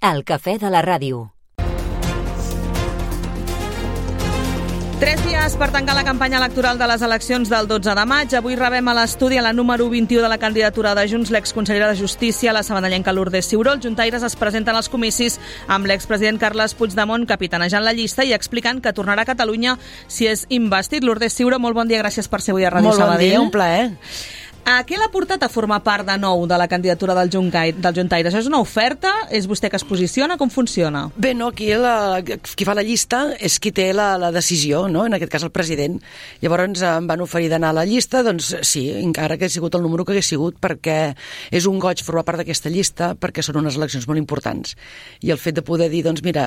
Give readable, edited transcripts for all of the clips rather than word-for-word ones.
El cafè de la ràdio. 3 dies per tancar la campanya electoral de les eleccions del 12 de maig. Avui rebem a l'estudi a la número 21 de la candidatura de Junts l'exconsellera de Justícia, la sabadellenca Lourdes Ciuró. Els juntaires es presenten als comicis amb l'expresident Carles Puigdemont capitanejant la llista i explicant que tornarà a Catalunya si és investit. Lourdes Ciuró, molt bon dia, gràcies per ser avui a Ràdio Sabadell. Molt bon dia, un plaer. Què l'ha portat a formar part de nou de la candidatura del juntaire? Això és una oferta? És vostè que es posiciona? Com funciona? Bé, no, aquí qui fa la llista és qui té la decisió, no? En aquest cas el president. Llavors em van oferir d'anar a la llista, doncs sí, encara que hagués sigut el número que hagués sigut, perquè és un goig formar part d'aquesta llista, perquè són unes eleccions molt importants. I el fet de poder dir, doncs mira,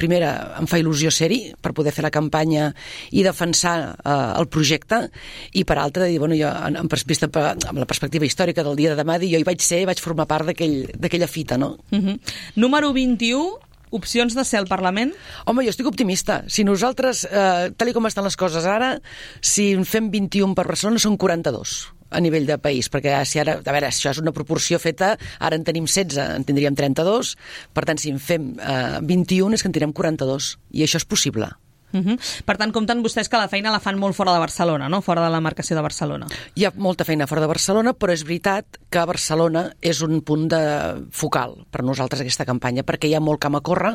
primera em fa il·lusió ser-hi per poder fer la campanya i defensar el projecte, i per altra dir, bueno, jo amb la perspectiva històrica del dia de demà, dir, jo hi vaig ser, vaig formar part d'aquella fita, no? Número 21, opcions de ser al Parlament? Home, jo estic optimista. Si nosaltres, tal com estan les coses ara, si en fem 21 per Barcelona, són 42 a nivell de país, perquè si ara, a veure, això és una proporció feta, ara en tenim 16, en tindríem 32, per tant, si en fem 21 és que en tindrem 42, i això és possible. Per tant, compten vostès que la feina la fan molt fora de Barcelona, no? Fora de la demarcació de Barcelona. Hi ha molta feina fora de Barcelona, però és veritat que Barcelona és un punt focal per nosaltres aquesta campanya, perquè hi ha molt camp a córrer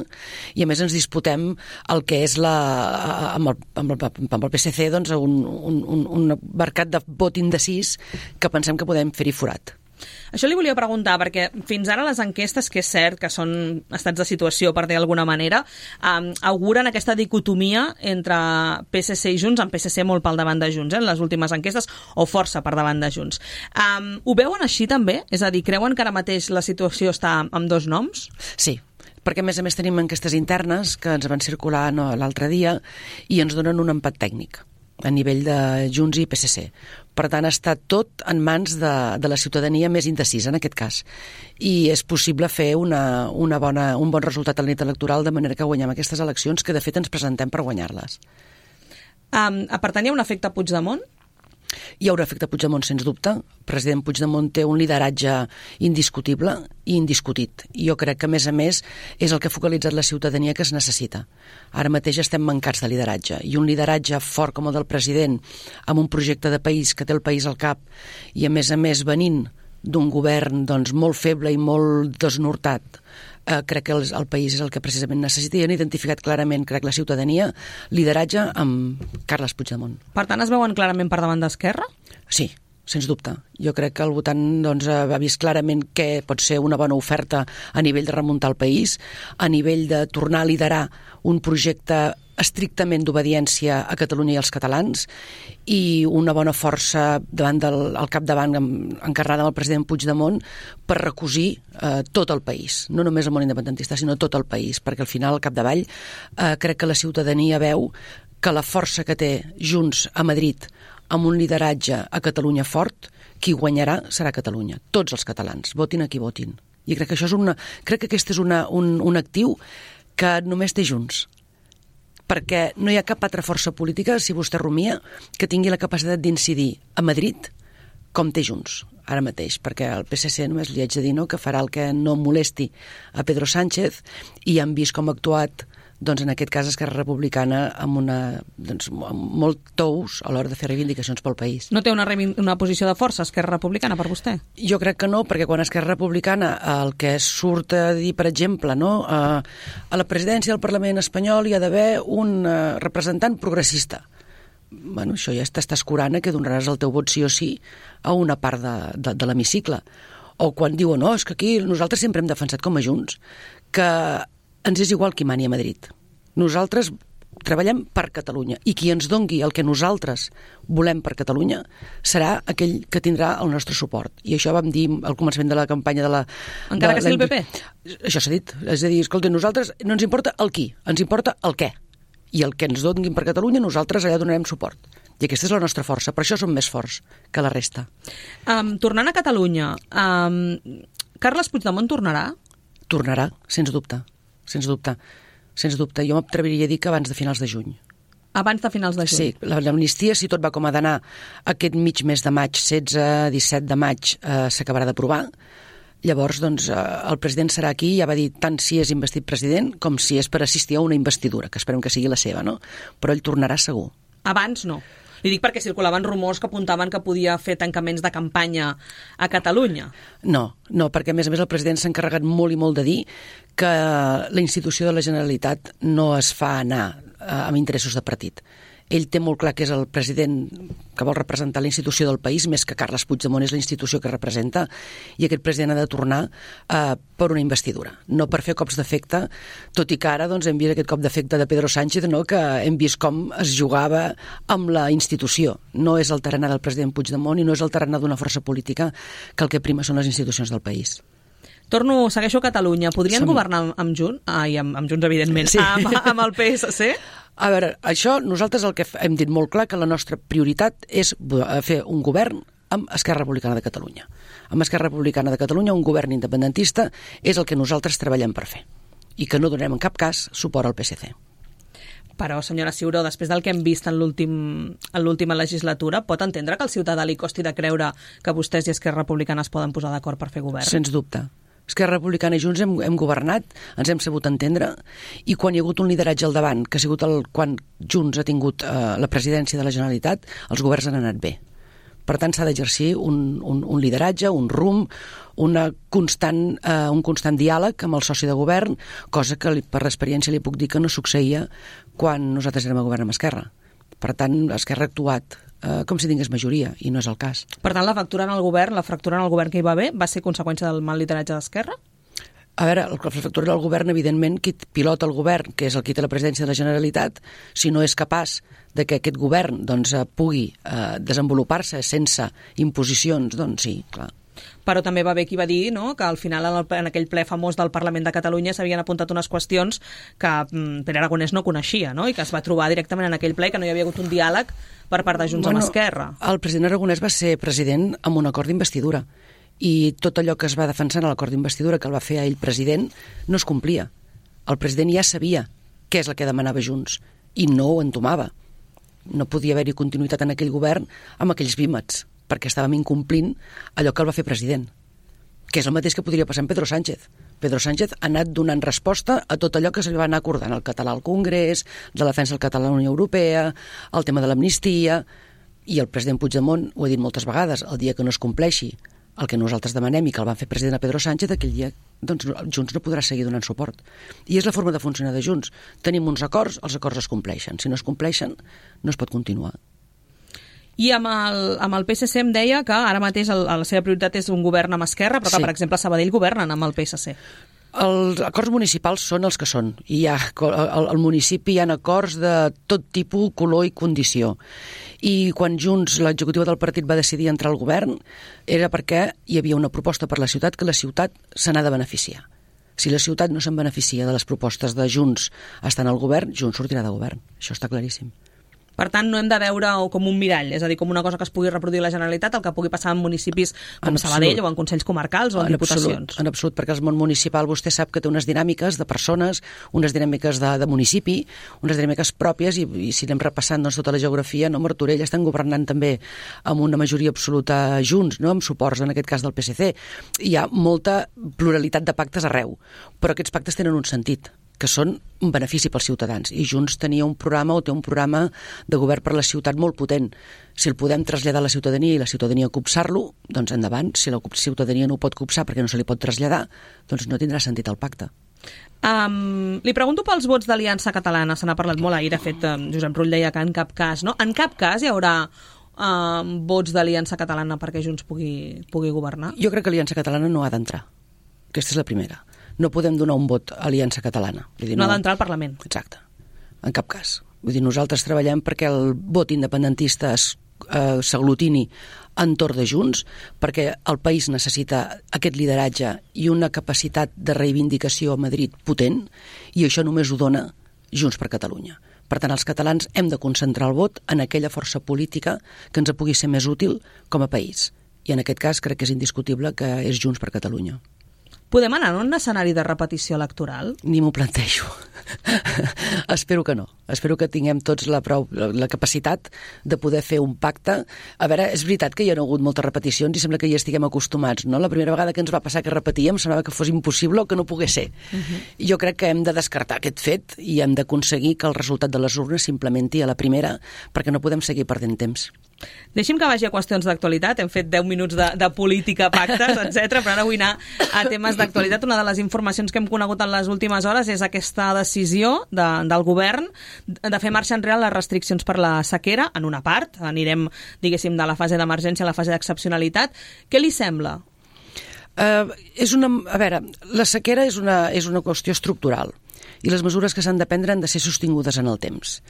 i a més ens disputem el que és amb el PSC, doncs, un mercat de vot indecís que pensem que podem fer-hi forat. Això li volia preguntar, perquè fins ara les enquestes, que és cert que són estats de situació, per dir d'alguna manera, auguren aquesta dicotomia entre PSC i Junts, amb PSC molt pel davant de Junts, en les últimes enquestes, o força per davant de Junts. Ho veuen així també? És a dir, creuen que ara mateix la situació està amb dos noms? Sí, perquè a més tenim enquestes internes que ens van circular l'altre dia i ens donen un empat tècnic a nivell de Junts i PSC. Per tant, està tot en mans de la ciutadania més indecisa, en aquest cas. I és possible fer un bon resultat a la nit electoral, de manera que guanyem aquestes eleccions, que de fet ens presentem per guanyar-les. Per tant, hi ha un efecte Puigdemont? Hi haurà efecte Puigdemont, sens dubte. El president Puigdemont té un lideratge indiscutible i indiscutit. I jo crec que, a més, és el que ha focalitzat la ciutadania que es necessita. Ara mateix estem mancats de lideratge. I un lideratge fort com el del president, amb un projecte de país que té el país al cap, i a més, venint d'un govern doncs, molt feble i molt desnortat, crec que el país és el que precisament necessita, i han identificat clarament, crec, la ciutadania, lideratge amb Carles Puigdemont. Per tant, es veuen clarament per davant d'Esquerra? Sí, sens dubte. Jo crec que el votant ha vist clarament què pot ser una bona oferta a nivell de remuntar el país, a nivell de tornar a liderar un projecte estrictament d'obediència a Catalunya i als catalans, i una bona força al capdavant encarnada amb el president Puigdemont per recosir tot el país, no només el món independentista, sinó tot el país, perquè al final, al capdavall, crec que la ciutadania veu que la força que té Junts a Madrid amb un lideratge a Catalunya fort, qui guanyarà serà Catalunya, tots els catalans, votin a qui votin. I crec que aquest és un actiu que només té Junts, perquè no hi ha cap altra força política, si vostè rumia, que tingui la capacitat d'incidir a Madrid com té Junts ara mateix, perquè el PSC només li haig de dir que farà el que no molesti a Pedro Sánchez, i han vist com ha actuat, doncs en aquest cas Esquerra Republicana, amb molt tous a l'hora de fer reivindicacions pel país. No té una posició de força Esquerra Republicana per vostè? Jo crec que no, perquè quan Esquerra Republicana el que surt a dir, per exemple, a la presidència del Parlament espanyol hi ha d'haver un representant progressista. Bueno, això ja t'està escurant que donaràs el teu vot sí o sí a una part de l'hemicicle. O quan diuen, no, és que aquí nosaltres sempre hem defensat com a Junts que ens és igual qui mani a Madrid. Nosaltres treballem per Catalunya, i qui ens dongui el que nosaltres volem per Catalunya serà aquell que tindrà el nostre suport. I això vam dir al començament de la campanya de la... Encara que sigui el PP? Això s'ha dit. És a dir, escolta, nosaltres no ens importa el qui, ens importa el què. I el que ens donguin per Catalunya, nosaltres allà donarem suport. I aquesta és la nostra força. Per això som més forts que la resta. Tornant a Catalunya, Carles Puigdemont tornarà? Tornarà, sens dubte. Sens dubte. Jo m'atreviria a dir que abans de finals de juny. Abans de finals de juny? Sí, l'amnistia, si tot va com ha d'anar, aquest mig mes de maig, 16-17 de maig, s'acabarà d'aprovar. Llavors, doncs, el president serà aquí, ja va dir tant si és investit president com si és per assistir a una investidura, que esperem que sigui la seva, no? Però ell tornarà segur. Abans no. Li dic perquè circulaven rumors que apuntaven que podia fer tancaments de campanya a Catalunya. No, perquè a més el president s'ha encarregat molt i molt de dir que la institució de la Generalitat no es fa anar amb interessos de partit. Ell té molt clar que és el president que vol representar la institució del país, més que Carles Puigdemont és la institució que representa, i aquest president ha de tornar per una investidura, no per fer cops d'efecte, tot i que ara doncs, hem vist aquest cop d'efecte de Pedro Sánchez, no? Que hem vist com es jugava amb la institució. No és el tarannà del president Puigdemont i no és el tarannà d'una força política, que el que prima són les institucions del país. Segueixo a Catalunya. Podrien governar amb Junts? Amb Junts, evidentment. Sí. Amb el PSC? A veure, això nosaltres el que hem dit molt clar que la nostra prioritat és fer un govern amb Esquerra Republicana de Catalunya. Amb Esquerra Republicana de Catalunya un govern independentista és el que nosaltres treballem per fer i que no donem en cap cas suport al PSC. Però, senyora Ciuró, després del que hem vist en l'última legislatura, pot entendre que al ciutadà li costi de creure que vostès i Esquerra Republicana es poden posar d'acord per fer govern? Sens dubte. Esquerra Republicana i Junts hem governat, ens hem sabut entendre, i quan hi ha hagut un lideratge al davant, que ha sigut quan Junts ha tingut la presidència de la Generalitat, els governs han anat bé. Per tant, s'ha d'exercir un lideratge, un rumb, un constant diàleg amb el soci de govern, cosa que per l'experiència li puc dir que no succeïa quan nosaltres érem a govern amb Esquerra. Per tant, Esquerra ha actuat com si tingués majoria, i no és el cas. Per tant, la fractura en el govern que hi va haver va ser conseqüència del mal lideratge d'Esquerra? A veure, la fractura del govern, evidentment, qui pilota el govern, que és el qui té la presidència de la Generalitat, si no és capaç de que aquest govern pugui desenvolupar-se sense imposicions, doncs sí, clar. Però també va haver qui va dir, no?, que al final en aquell ple famós del Parlament de Catalunya s'havien apuntat unes qüestions que Pere Aragonès no coneixia, no?, i que es va trobar directament en aquell ple, que no hi havia hagut un diàleg per part de Junts amb Esquerra. El president Aragonès va ser president amb un acord d'investidura i tot allò que es va defensar en l'acord d'investidura que el va fer a ell president no es complia. El president ja sabia què és el que demanava Junts i no ho entomava. No podia haver-hi continuïtat en aquell govern amb aquells vímets, perquè estàvem incomplint allò que el va fer president, que és el mateix que podria passar amb Pedro Sánchez. Pedro Sánchez ha anat donant resposta a tot allò que se li va anar acordant, el català al Congrés, la defensa del català a la Unió Europea, el tema de l'amnistia, i el president Puigdemont ho ha dit moltes vegades, el dia que no es compleixi el que nosaltres demanem i que el van fer president a Pedro Sánchez, aquell dia doncs, Junts no podrà seguir donant suport. I és la forma de funcionar de Junts. Tenim uns acords, els acords es compleixen. Si no es compleixen, no es pot continuar. I amb el PSC em deia que ara mateix la seva prioritat és un govern amb Esquerra, però que, per exemple, a Sabadell governen amb el PSC. Els acords municipals són els que són. I al municipi hi ha acords de tot tipus, color i condició. I quan Junts, l'executiva del partit, va decidir entrar al govern, era perquè hi havia una proposta per la ciutat que la ciutat se n'ha de beneficiar. Si la ciutat no se'n beneficia de les propostes de Junts estant al govern, Junts sortirà de govern. Això està claríssim. Per tant, no hem de veure-ho com un mirall, és a dir, com una cosa que es pugui reproduir la Generalitat, el que pugui passar en municipis com Sabadell o en consells comarcals o en diputacions. En absolut, perquè el món municipal vostè sap que té unes dinàmiques de persones, unes dinàmiques de municipi, unes dinàmiques pròpies, i si anem repassant tota la geografia, Martorell estan governant també amb una majoria absoluta Junts, amb suports, en aquest cas del PSC. Hi ha molta pluralitat de pactes arreu, però aquests pactes tenen un sentit, que són un benefici pels ciutadans. I Junts tenia un programa o té un programa de govern per la ciutat molt potent. Si el podem traslladar a la ciutadania i la ciutadania copsar-lo, doncs endavant. Si la ciutadania no ho pot copsar perquè no se li pot traslladar, doncs no tindrà sentit el pacte. Li pregunto pels vots d'Aliança Catalana. Se n'ha parlat molt ahir, de fet, Josep Rull deia que en cap cas, no? En cap cas hi haurà vots d'Aliança Catalana perquè Junts pugui governar? Jo crec que Aliança Catalana no ha d'entrar. Aquesta és la primera. No podem donar un vot a Aliança Catalana. No ha d'entrar al Parlament. Exacte. En cap cas. Vull dir, nosaltres treballem perquè el vot independentista s'aglutini entorn de Junts, perquè el país necessita aquest lideratge i una capacitat de reivindicació a Madrid potent, i això només ho dona Junts per Catalunya. Per tant, els catalans hem de concentrar el vot en aquella força política que ens pugui ser més útil com a país. I en aquest cas crec que és indiscutible que és Junts per Catalunya. Podem anar en un escenari de repetició electoral? Ni m'ho plantejo. Espero que no. Espero que tinguem tots la capacitat de poder fer un pacte. A veure, és veritat que hi ha hagut moltes repeticions i sembla que hi estiguem acostumats, no? La primera vegada que ens va passar que repetíem semblava que fos impossible o que no pogués ser. Jo crec que hem de descartar aquest fet i hem d'aconseguir que el resultat de les urnes s'implementi a la primera, perquè no podem seguir perdent temps. Deixi'm que vagi a qüestions d'actualitat. Hem fet 10 minuts de política, pactes, etc. Però ara vull anar a temes d'actualitat. Una de les informacions que hem conegut en les últimes hores és aquesta decisió del govern de fer marxa enrere les restriccions per la sequera, en una part. Anirem, diguéssim, de la fase d'emergència a la fase d'excepcionalitat. Què li sembla? A veure, la sequera és una qüestió estructural i les mesures que s'han de prendre han de ser sostingudes en el temps.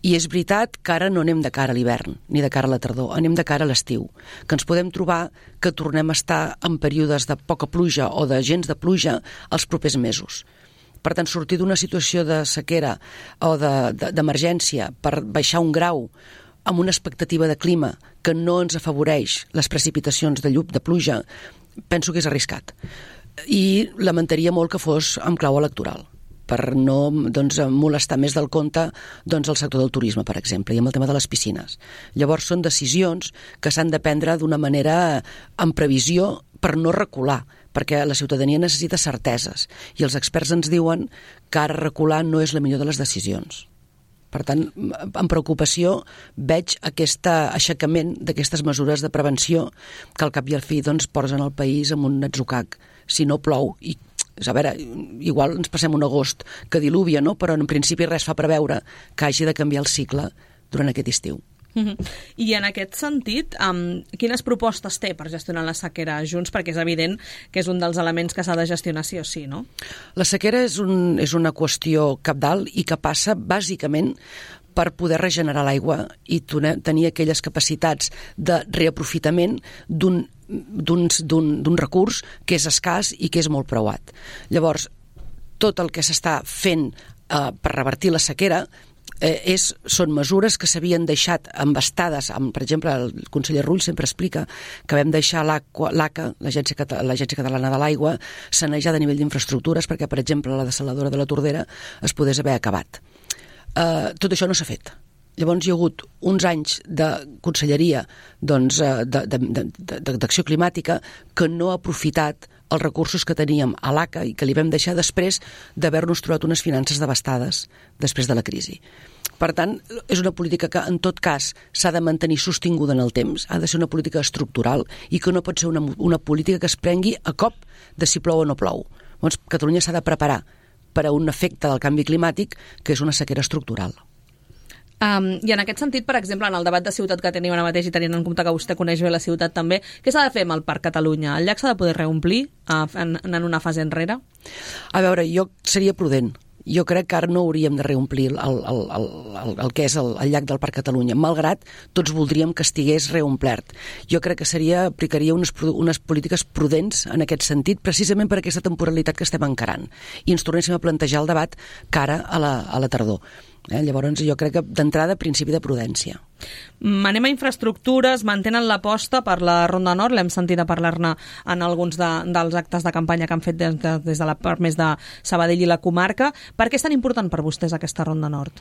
I és veritat que ara no anem de cara a l'hivern ni de cara a la tardor, anem de cara a l'estiu, que ens podem trobar que tornem a estar en períodes de poca pluja o de gens de pluja els propers mesos. Per tant, sortir d'una situació de sequera o d'emergència per baixar un grau amb una expectativa de clima que no ens afavoreix les precipitacions de pluja, penso que és arriscat. I lamentaria molt que fos amb clau electoral, per no molestar més del compte el sector del turisme, per exemple, i amb el tema de les piscines. Llavors són decisions que s'han de prendre d'una manera en previsió per no recular, perquè la ciutadania necessita certeses i els experts ens diuen que ara recular no és la millor de les decisions. Per tant, amb preocupació veig aquest aixecament d'aquestes mesures de prevenció que al cap i al fi posen el país en un atzucac si no plou. I a veure, igual ens passem un agost que diluvia, no? Però en principi res fa preveure que hagi de canviar el cicle durant aquest estiu. I en aquest sentit, quines propostes té per gestionar la sequera Junts? Perquè és evident que és un dels elements que s'ha de gestionar sí o sí, no? La sequera és una qüestió cabdal i que passa bàsicament per poder regenerar l'aigua i tenir aquelles capacitats de reaprofitament d'un recurs que és escàs i que és molt preuat. Llavors, tot el que s'està fent per revertir la sequera són mesures que s'havien deixat embastades. Per exemple, el conseller Rull sempre explica que vam deixar l'ACA, l'Agència Catalana de l'Aigua, sanejada a nivell d'infraestructures perquè, per exemple, la dessaladora de la Tordera es podés haver acabat. Tot això no s'ha fet. Llavors hi ha hagut uns anys de conselleria d'acció climàtica que no ha aprofitat els recursos que teníem a l'ACA i que li vam deixar després d'haver-nos trobat unes finances devastades després de la crisi. Per tant, és una política que en tot cas s'ha de mantenir sostinguda en el temps, ha de ser una política estructural i que no pot ser una política que es prengui a cop de si plou o no plou. Llavors, Catalunya s'ha de preparar per a un efecte del canvi climàtic que és una sequera estructural. I en aquest sentit, per exemple, en el debat de ciutat que tenim ara mateix i tenint en compte que vostè coneix bé la ciutat també, què s'ha de fer amb el Parc Catalunya? El llac s'ha de poder reomplir en una fase enrere? A veure, jo seria prudent. Jo crec que ara no hauríem de reomplir el que és el llac del Parc Catalunya, malgrat tots voldríem que estigués reomplert. Jo crec que aplicaria unes polítiques prudents en aquest sentit, precisament per aquesta temporalitat que estem encarant. I ens tornéssim a plantejar el debat cara a la tardor. Llavors jo crec que d'entrada principi de prudència. Anem a infraestructures, mantenen l'aposta per la Ronda Nord, l'hem sentit a parlar-ne en alguns dels actes de campanya que han fet des de la part més de Sabadell i la comarca. Per què és tan important per vostès aquesta Ronda Nord?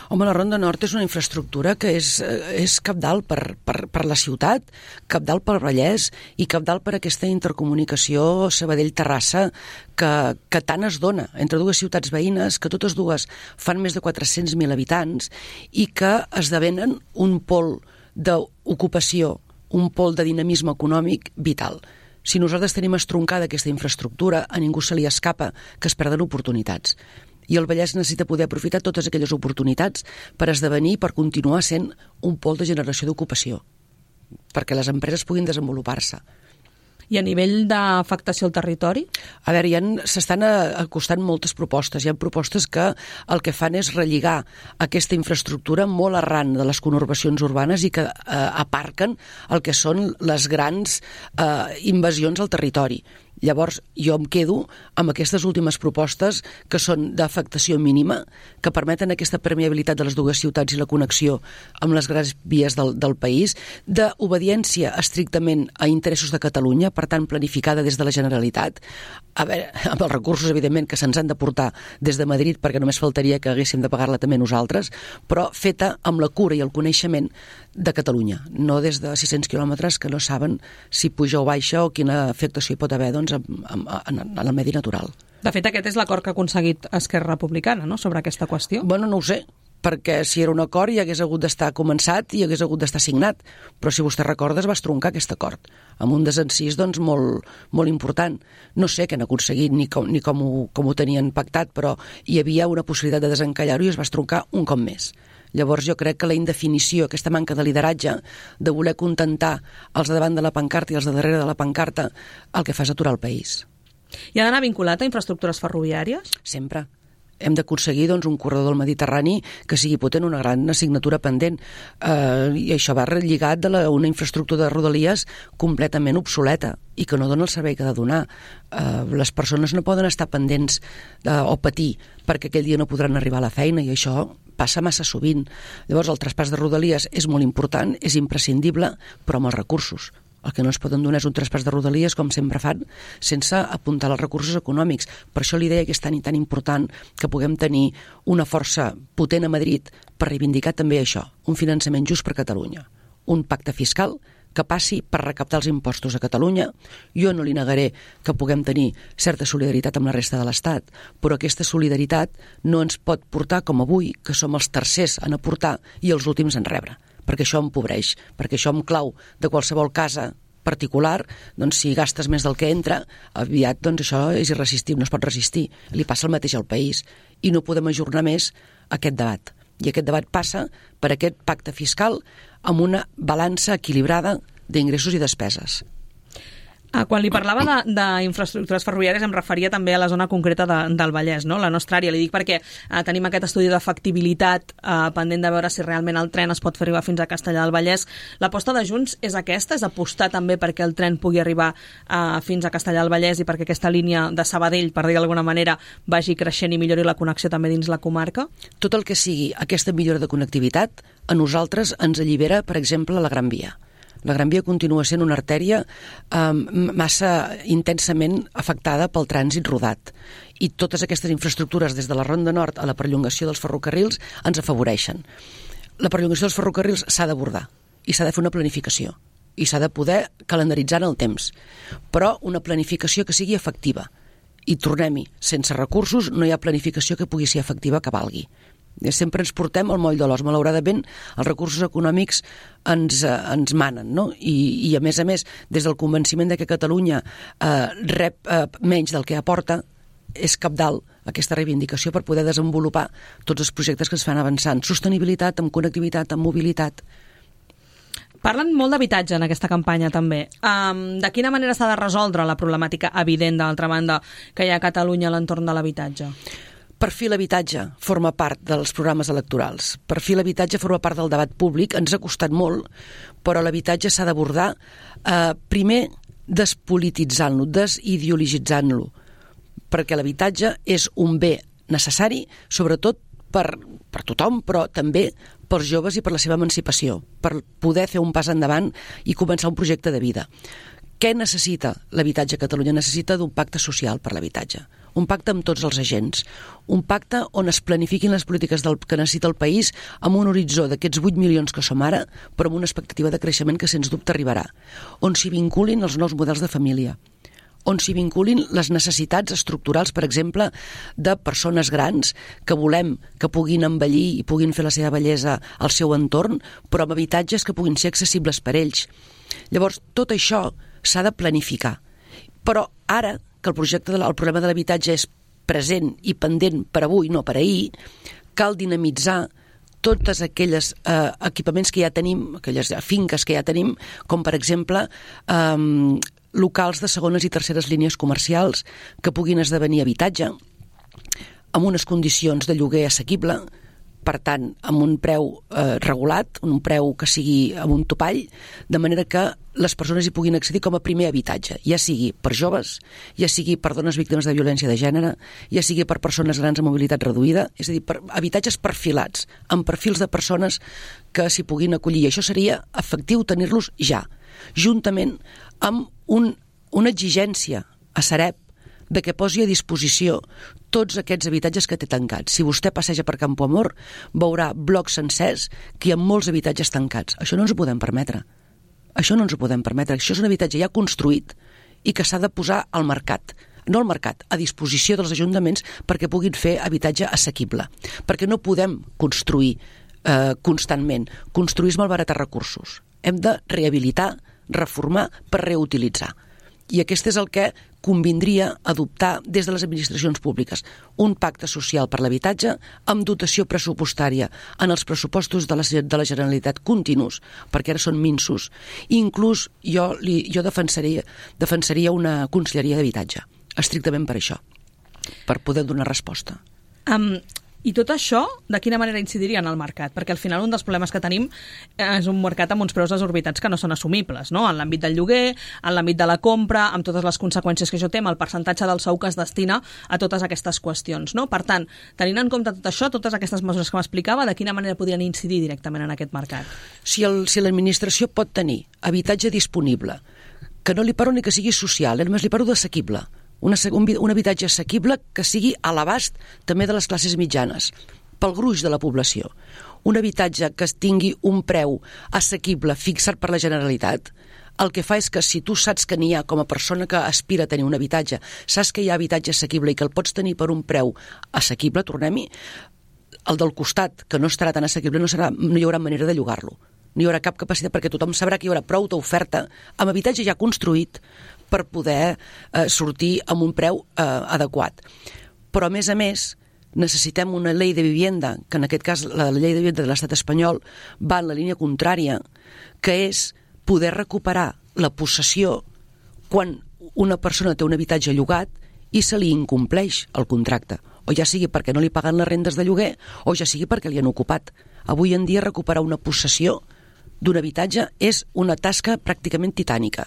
Home, la Ronda Nord és una infraestructura que és cabdal per la ciutat, cabdal pel Vallès i cabdal per aquesta intercomunicació Sabadell-Terrassa que tant es dona entre dues ciutats veïnes, que totes dues fan més de 400.000 habitants i que esdevenen un pol d'ocupació, un pol de dinamisme econòmic vital. Si nosaltres tenim estroncada aquesta infraestructura, a ningú se li escapa que es perden oportunitats. I el Vallès necessita poder aprofitar totes aquelles oportunitats per esdevenir, per continuar sent un pol de generació d'ocupació, perquè les empreses puguin desenvolupar-se. I a nivell d'afectació al territori? A veure, s'estan acostant moltes propostes. Hi ha propostes que el que fan és relligar aquesta infraestructura molt arran de les conurbacions urbanes i que aparquen el que són les grans invasions al territori. Llavors, jo em quedo amb aquestes últimes propostes que són d'afectació mínima, que permeten aquesta permeabilitat de les dues ciutats i la connexió amb les grans vies del país, d'obediència estrictament a interessos de Catalunya, per tant, planificada des de la Generalitat, a veure, amb els recursos, evidentment, que se'ns han de portar des de Madrid, perquè només faltaria que haguéssim de pagar-la també nosaltres, però feta amb la cura i el coneixement de Catalunya, no des de 600 quilòmetres que no saben si puja o baixa o quina afectació hi pot haver, doncs, en el medi natural. De fet, aquest és l'acord que ha aconseguit Esquerra Republicana, no?, sobre aquesta qüestió. Bueno, no ho sé, perquè si era un acord hi hagués hagut d'estar començat i hi hagués hagut d'estar signat, però si vostè recorda es va estroncar aquest acord, amb un desencís doncs, molt important. No sé què han aconseguit ni com ho tenien pactat, però hi havia una possibilitat de desencallar-ho i es va estroncar un cop més. Llavors jo crec que la indefinició, aquesta manca de lideratge, de voler contentar els de davant de la pancarta i els de darrere de la pancarta, el que fa és aturar el país. I ha d'anar vinculat a infraestructures ferroviàries? Sempre. Hem d'aconseguir doncs, un corredor del Mediterrani que sigui potent, una gran assignatura pendent. I això va lligat a una infraestructura de rodalies completament obsoleta i que no dona el servei que ha de donar. Les persones no poden estar pendents o patir perquè aquell dia no podran arribar a la feina i això passa massa sovint. Llavors el traspàs de rodalies és molt important, és imprescindible, però amb els recursos. El que no ens poden donar és un traspàs de rodalies, com sempre fan, sense apuntar els recursos econòmics. Per això li deia que és tan i tan important que puguem tenir una força potent a Madrid per reivindicar també això, un finançament just per Catalunya, un pacte fiscal que passi per recaptar els impostos a Catalunya. Jo no li negaré que puguem tenir certa solidaritat amb la resta de l'Estat, però aquesta solidaritat no ens pot portar com avui, que som els tercers en aportar i els últims en rebre, perquè això empobreix, perquè això em clau de qualsevol casa particular, doncs si gastes més del que entra, aviat doncs això és irresistible, no es pot resistir. Li passa el mateix al país i no podem ajornar més aquest debat. I aquest debat passa per aquest pacte fiscal amb una balança equilibrada d'ingressos i despeses. Quan li parlava d'infraestructures ferroviàries em referia també a la zona concreta del Vallès, no? La nostra àrea. Li dic perquè tenim aquest estudi de factibilitat pendent de veure si realment el tren es pot fer arribar fins a Castellar del Vallès. L'aposta de Junts és aquesta? És apostar també perquè el tren pugui arribar fins a Castellar del Vallès i perquè aquesta línia de Sabadell, per dir d'alguna manera, vagi creixent i millori la connexió també dins la comarca? Tot el que sigui aquesta millora de connectivitat a nosaltres ens allibera, per exemple, la Gran Via. La Gran Via continua sent una artèria massa intensament afectada pel trànsit rodat. I totes aquestes infraestructures, des de la Ronda Nord a la perllongació dels ferrocarrils, ens afavoreixen. La perllongació dels ferrocarrils s'ha d'abordar i s'ha de fer una planificació i s'ha de poder calendaritzar en el temps, però una planificació que sigui efectiva. I tornem-hi, sense recursos no hi ha planificació que pugui ser efectiva que valgui. Sempre ens portem al moll de l'os. Malauradament, els recursos econòmics ens manen, no? I a més, des del convenciment de que Catalunya rep menys del que aporta, és cabdal aquesta reivindicació per poder desenvolupar tots els projectes que es fan avançant. Sostenibilitat, amb connectivitat, amb mobilitat. Parlen molt d'habitatge en aquesta campanya, també. De quina manera s'ha de resoldre la problemàtica evident, d'altra banda, que hi ha a Catalunya a l'entorn de l'habitatge? Per fi l'habitatge forma part dels programes electorals. Per fi l'habitatge forma part del debat públic. Ens ha costat molt, però l'habitatge s'ha d'abordar primer despolititzant-lo, desideologitzant-lo, perquè l'habitatge és un bé necessari, sobretot per tothom, però també pels joves i per la seva emancipació, per poder fer un pas endavant i començar un projecte de vida. Què necessita l'habitatge a Catalunya? Necessita d'un pacte social per l'habitatge, un pacte amb tots els agents, un pacte on es planifiquin les polítiques que necessita el país amb un horitzó d'aquests 8 milions que som ara, però amb una expectativa de creixement que sens dubte arribarà, on s'hi vinculin els nous models de família, on s'hi vinculin les necessitats estructurals, per exemple, de persones grans que volem que puguin envellir i puguin fer la seva bellesa al seu entorn, però amb habitatges que puguin ser accessibles per ells. Llavors, tot això s'ha de planificar. Però ara, que el problema de l'habitatge és present i pendent per avui, no per ahir, cal dinamitzar tots aquells equipaments que ja tenim, aquelles finques que ja tenim, com per exemple locals de segones i terceres línies comercials que puguin esdevenir habitatge, amb unes condicions de lloguer assequible, per tant, amb un preu regulat, un preu que sigui amb un topall, de manera que les persones hi puguin accedir com a primer habitatge, ja sigui per joves, ja sigui per dones víctimes de violència de gènere, ja sigui per persones grans amb mobilitat reduïda, és a dir, per habitatges perfilats, amb perfils de persones que s'hi puguin acollir. I això seria efectiu tenir-los ja, juntament amb una exigència a Sareb de que posi a disposició tots aquests habitatges que té tancats. Si vostè passeja per Campoamor, veurà blocs sencers que hi ha molts habitatges tancats. Això no ens ho podem permetre. Això és un habitatge ja construït i que s'ha de posar al mercat. No al mercat, a disposició dels ajuntaments perquè puguin fer habitatge assequible. Perquè no podem construir constantment. Construir és malbaratar recursos. Hem de rehabilitar, reformar per reutilitzar. I aquest és el que convindria adoptar des de les administracions públiques. Un pacte social per l'habitatge amb dotació pressupostària en els pressupostos de la Generalitat continus, perquè ara són minsos. Inclús jo defensaria una conselleria d'habitatge, estrictament per això, per poder donar resposta. I tot això, de quina manera incidiria en el mercat? Perquè al final un dels problemes que tenim és un mercat amb uns preus desorbitats que no són assumibles, no? En l'àmbit del lloguer, en l'àmbit de la compra, amb totes les conseqüències que això té, amb el percentatge del sou que es destina a totes aquestes qüestions, no? Per tant, tenint en compte tot això, totes aquestes mesures que m'explicava, de quina manera podrien incidir directament en aquest mercat? Si l'administració pot tenir habitatge disponible, que no li parlo ni que sigui social, només li parlo d'assequible, un habitatge assequible que sigui a l'abast també de les classes mitjanes, pel gruix de la població. Un habitatge que tingui un preu assequible fixat per la Generalitat, el que fa és que si tu saps que n'hi ha com a persona que aspira a tenir un habitatge, saps que hi ha habitatge assequible i que el pots tenir per un preu assequible, tornem-hi, el del costat, que no estarà tan assequible, no hi haurà manera de llogar-lo. No hi haurà cap capacitat perquè tothom sabrà que hi haurà prou d'oferta amb habitatge ja construït per poder sortir amb un preu adequat. Però, a més, necessitem una llei de vivienda, que en aquest cas la llei de vivienda de l'estat espanyol va en la línia contrària, que és poder recuperar la possessió quan una persona té un habitatge llogat i se li incompleix el contracte, o ja sigui perquè no li paguen les rendes de lloguer o ja sigui perquè li han ocupat. Avui en dia recuperar una possessió d'un habitatge és una tasca pràcticament titànica.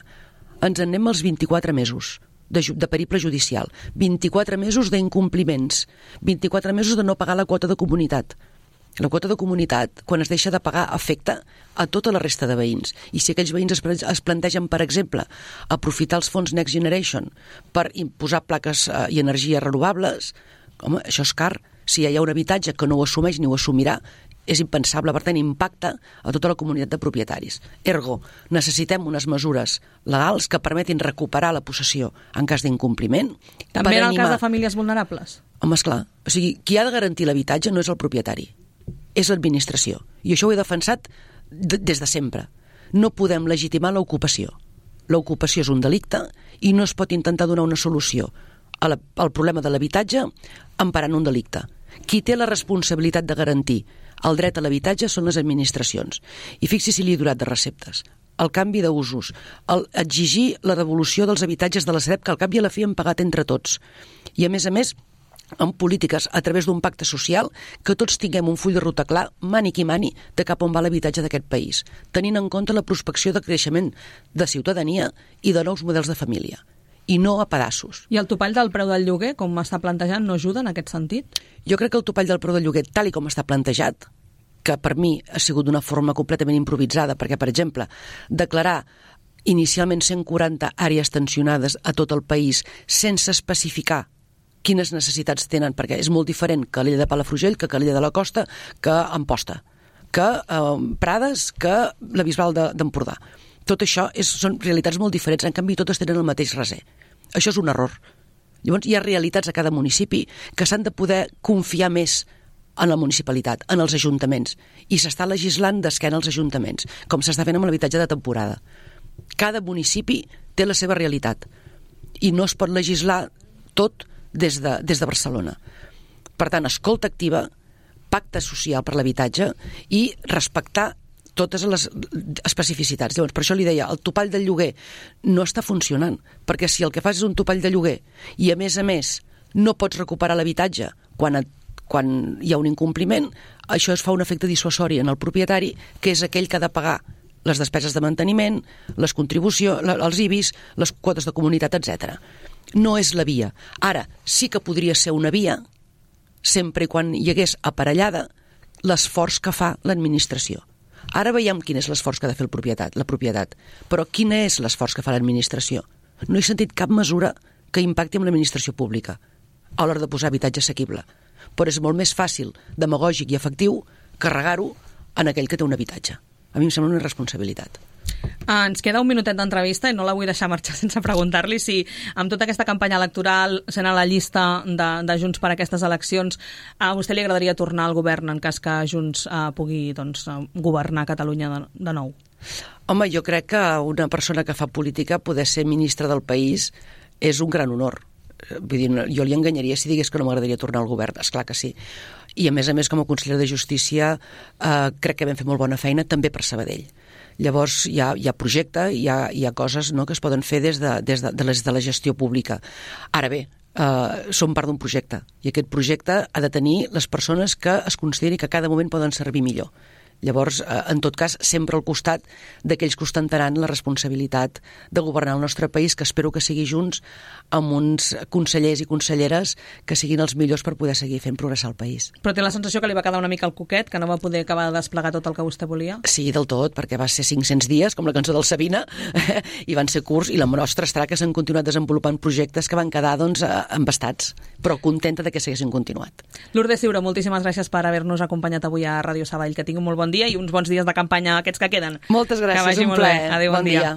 Ens en anem als 24 mesos de periple judicial, 24 mesos d'incompliments, 24 mesos de no pagar la quota de comunitat. La quota de comunitat, quan es deixa de pagar, afecta a tota la resta de veïns. I si aquells veïns es plantegen, per exemple, aprofitar els fons Next Generation per imposar plaques i energies renovables, home, això és car. Si hi ha un habitatge que no ho assumeix ni ho assumirà, és impensable, per tant, impacta a tota la comunitat de propietaris. Ergo, necessitem unes mesures legals que permetin recuperar la possessió en cas d'incompliment. També en el cas de famílies vulnerables? Home, esclar. O sigui, qui ha de garantir l'habitatge no és el propietari, és l'administració. I això ho he defensat des de sempre. No podem legitimar l'ocupació. L'ocupació és un delicte i no es pot intentar donar una solució al problema de l'habitatge emparant un delicte. Qui té la responsabilitat de garantir el dret a l'habitatge són les administracions. I fixi si li he donat de receptes. El canvi d'usos, exigir la devolució dels habitatges de la Sareb, que al cap i a la fi hem pagat entre tots. I a més, amb polítiques a través d'un pacte social, que tots tinguem un full de ruta clar, mani qui mani, de cap on va l'habitatge d'aquest país, tenint en compte la prospecció de creixement de ciutadania i de nous models de família. I no a pedaços. I el topall del preu del lloguer, com m'està plantejant, no ajuda en aquest sentit? Jo crec que el topall del preu del lloguer, tal i com està plantejat, que per mi ha sigut d'una forma completament improvisada, perquè, per exemple, declarar inicialment 140 àrees tensionades a tot el país sense especificar quines necessitats tenen, perquè és molt diferent que l'illa de Palafrugell, que l'illa de la Costa, que Amposta, que Prades, que la Bisbal d'Empordà. Tot això són realitats molt diferents, en canvi totes tenen el mateix raser. Això és un error. Llavors hi ha realitats a cada municipi que s'han de poder confiar més en la municipalitat, en els ajuntaments, i s'està legislant d'esquena als ajuntaments, com s'està fent amb l'habitatge de temporada. Cada municipi té la seva realitat i no es pot legislar tot des de Barcelona. Per tant, escolta activa, pacte social per l'habitatge i respectar totes les especificitats. Llavors, per això li deia, el topall del lloguer no està funcionant, perquè si el que fas és un topall de lloguer i, a més, no pots recuperar l'habitatge quan quan hi ha un incompliment, això es fa un efecte dissuasori en el propietari, que és aquell que ha de pagar les despeses de manteniment, les contribucions, els IBIs, les quotes de comunitat, etc. No és la via. Ara, sí que podria ser una via, sempre i quan hi hagués aparellada l'esforç que fa l'administració. Ara veiem quin és l'esforç que ha de fer la propietat, però quin és l'esforç que fa l'administració? No he sentit cap mesura que impacti amb l'administració pública a l'hora de posar habitatge assequible. Però és molt més fàcil, demagògic i efectiu, carregar-ho en aquell que té un habitatge. A mi em sembla una irresponsabilitat. Ens queda un minutet d'entrevista i no la vull deixar marxar sense preguntar-li si amb tota aquesta campanya electoral, sent a la llista de Junts per aquestes eleccions, a vostè li agradaria tornar al govern en cas que Junts pugui governar Catalunya de nou? Home, jo crec que una persona que fa política poder ser ministre del país és un gran honor. Vull dir, jo li enganyaria si digués que no m'agradaria tornar al govern, esclar que sí. I a més, com a consellera de Justícia, crec que vam fer molt bona feina també per Sabadell. Llavors hi ha projecte, hi ha coses que es poden fer des de la gestió pública. Ara bé, som part d'un projecte i aquest projecte ha de tenir les persones que es consideri que a cada moment poden servir millor. Llavors, en tot cas, sempre al costat d'aquells que ostentaran la responsabilitat de governar el nostre país, que espero que sigui Junts, amb uns consellers i conselleres que siguin els millors per poder seguir fent progressar el país. Però té la sensació que li va quedar una mica el coquet, que no va poder acabar de desplegar tot el que vostè volia? Sí, del tot, perquè va ser 500 dies, com la cançó del Sabina, i van ser curts, i la nostra estarà que s'han continuat desenvolupant projectes que van quedar, embastats, però contenta de que s'haguessin continuat. Lourdes Ciuró, moltíssimes gràcies per haver-nos acompanyat avui a Ràdio Sabadell. Que tingui un molt bon dia i uns bons dies de campanya aquests que queden. Moltes gràcies, un plaer. Adéu, bon dia.